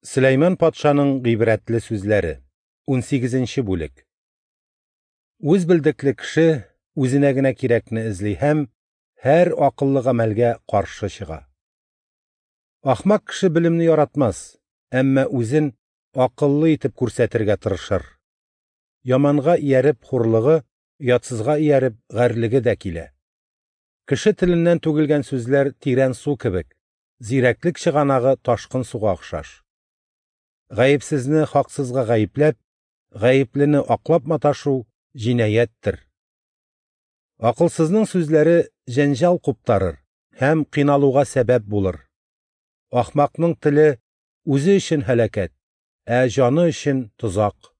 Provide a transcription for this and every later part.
Сөләйман патшаның гыйбрәтле сүзләре. 18 бүлек. Үз белдекле кеше үзенә генә кирәкне эзли һәм һәр акыллы гамәлгә каршы чыга. Ахмак кеше белемне яратмас, әмма үзен акыллы итеп күрсәтергә тырышыр. Яманга ияреп хурлыгы, оятсызга ияреп гарьлеге дә килә. Кеше теленнән түгелгән сүзләр тирән су кебек, зирәклек чыганагы ташкын суга охшаш. Гаепсезне хаксызга гаепләп, гаеплене аклап маташу җинаяттер. Акылсызның сүзләре җәнҗал куптарыр һәм кыйналуга сәбәп булыр. Ахмакның теле үзе өчен һәлакәт, ә җаны өчен тозак.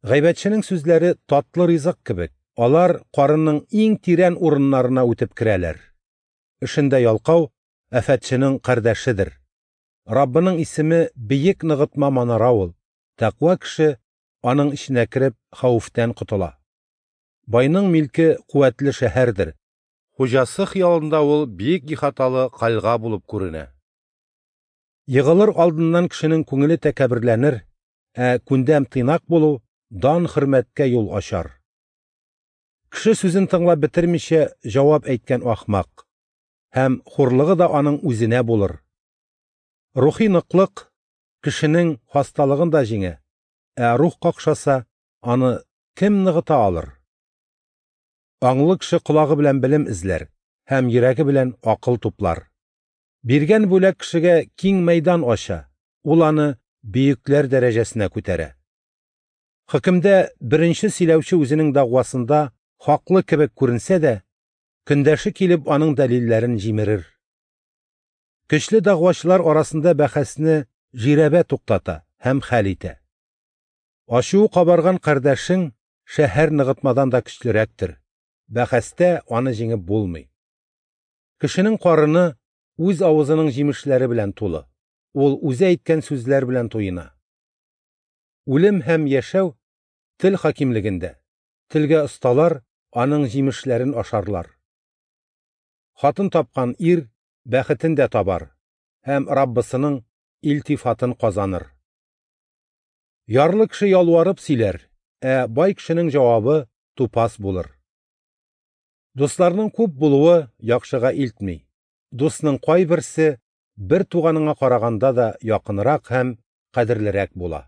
Гайбәтченең сүзләре татлы ризык кебек, алар карынның иң тирән урыннарына үтеп керәләр. Эшендә ялкау афәтченең кардәшедер. Раббының исеме бөек ныгытма манара ул. Тәкъва кеше аның эченә кереп хәвефтән котыла. Байның милке куәтле шәһәрдер. Хуҗасы хыялында ул бөек ихаталы кальга булып күренә. Егылыр алдыннан кешенең күңеле тәкәбберләнер, ә күндәм тыйнак булу дан хөрмәткә юл ачар. Кеше сүзен тыңлап бетермичә җавап әйткән ахмак, һәм хурлыгы да аның үзенә булыр. Рухи ныклык кешенең хасталыгын да җиңә, ә рух какшаса, аны кем ныгыта алыр? Аңлы кеше колагы белән белем эзләр һәм йөрәге белән акыл туплар. Биргән бүләк кешегә киң мәйдан ача, ул аны бөекләр дәрәҗәсенә күтәрә. Хөкемдә беренче сөйләүче үзенең дәгъвасында хаклы кебек күренсә дә, көндәше килеп аның дәлилләрен җимерер. Көчле дәгъвачылар арасында бәхәсне жирәбә туктата һәм хәл итә. Ачуы кабарган кардәшең шәһәр ныгытмадан да көчлерәктер. Бәхәстә аны җиңеп булмый. Кешенең карыны үз авызының җимешләре белән тулы. Ул үзе әйткән сүзләр белән туена. Үлем һәм яшәү тел хакимлегендә. Телгә осталар аның җимешләрен ашарлар. Хатын тапкан ир бәхетен дә табар һәм Раббысының илтифатын казаныр. Ярлы кеше ялварып сөйләр, ә бай кешенең җавабы тупас булыр. Дусларның күп булуы яхшыга илтми. Дусның кайберсе бер туганыңа караганда да якынрак һәм кадерлерәк була.